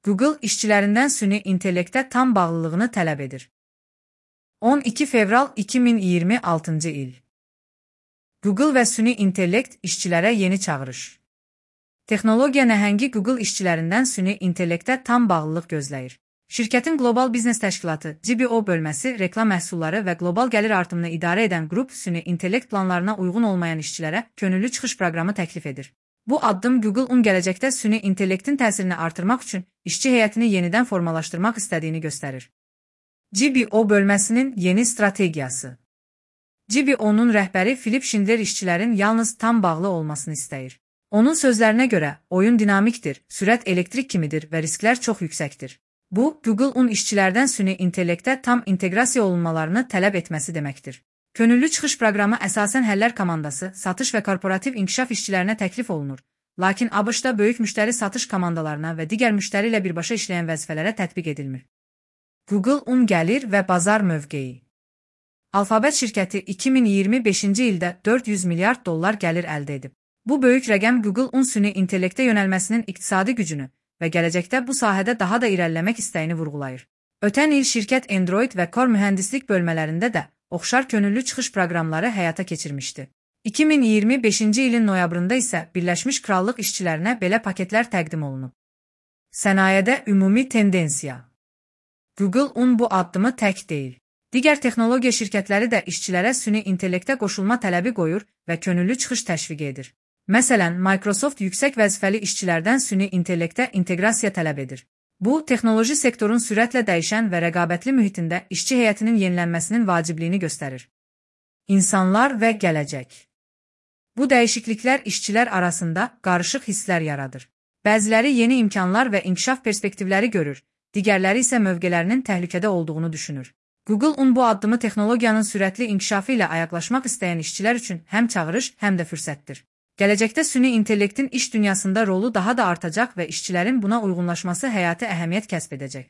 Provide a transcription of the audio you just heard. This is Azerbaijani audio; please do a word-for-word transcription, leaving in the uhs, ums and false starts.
Google işçilərindən süni intellektə tam bağlılığını tələb edir. on iki fevral iki min iyirmi altıncı il. Google və süni intellekt işçilərə yeni çağırış. Texnologiya nəhəngi Google işçilərindən süni intellektə tam bağlılıq gözləyir. Şirkətin Qlobal Biznes Təşkilatı G B O bölməsi reklam məhsulları və qlobal gəlir artımını idarə edən qrup süni intellekt planlarına uyğun olmayan işçilərə könüllü çıxış proqramı təklif edir. Bu addım Google-un gələcəkdə süni intellektin təsirini artırmaq üçün işçi heyətini yenidən formalaşdırmaq istədiyini göstərir. G B O bölməsinin yeni strategiyası. G B O-nun rəhbəri Philip Schindler işçilərin yalnız tam bağlı olmasını istəyir. Onun sözlərinə görə, oyun dinamikdir, sürət elektrik kimidir və risklər çox yüksəkdir. Bu, Google-un işçilərdən süni intellektə tam inteqrasiya olunmalarını tələb etməsi deməkdir. Könüllü çıxış proqramı əsasən həllər komandası, satış və korporativ inkişaf işçilərinə təklif olunur. Lakin ABŞ-da böyük müştəri satış komandalarına və digər müştəri ilə birbaşa işləyən vəzifələrə tətbiq edilmir. Google-un gəlir və bazar mövqeyi. Alphabet şirkəti iki min iyirmi beşinci ildə dörd yüz milyard dollar gəlir əldə edib. Bu böyük rəqəm Google-un süni intellektə yönəlməsinin iqtisadi gücünü və gələcəkdə bu sahədə daha da irəliləmək istəyini vurğulayır. Ötən il şirkət Android və Core mühəndislik bölmələrində də oxşar könüllü çıxış proqramları həyata keçirmişdi. iki min iyirmi beşinci ilin noyabrında isə Birləşmiş Krallıq işçilərinə belə paketlər təqdim olunub. Sənayədə ümumi tendensiya. Google-un bu addımı tək deyil. Digər texnologiya şirkətləri də işçilərə süni intellektə qoşulma tələbi qoyur və könüllü çıxış təşviq edir. Məsələn, Microsoft yüksək vəzifəli işçilərdən süni intellektə inteqrasiya tələb edir. Bu, texnoloji sektorun sürətlə dəyişən və rəqabətli mühitində işçi heyətinin yenilənməsinin vacibliyini göstərir. İnsanlar və gələcək. Bu dəyişikliklər işçilər arasında qarışıq hisslər yaradır. Bəziləri yeni imkanlar və inkişaf perspektivləri görür, digərləri isə mövqelərinin təhlükədə olduğunu düşünür. Google-un bu addımı texnologiyanın sürətli inkişafı ilə ayaqlaşmaq istəyən işçilər üçün həm çağırış, həm də fürsətdir. Gələcəkdə süni intellektin iş dünyasında rolu daha da artacaq və işçilərin buna uyğunlaşması həyati əhəmiyyət kəsb edəcək.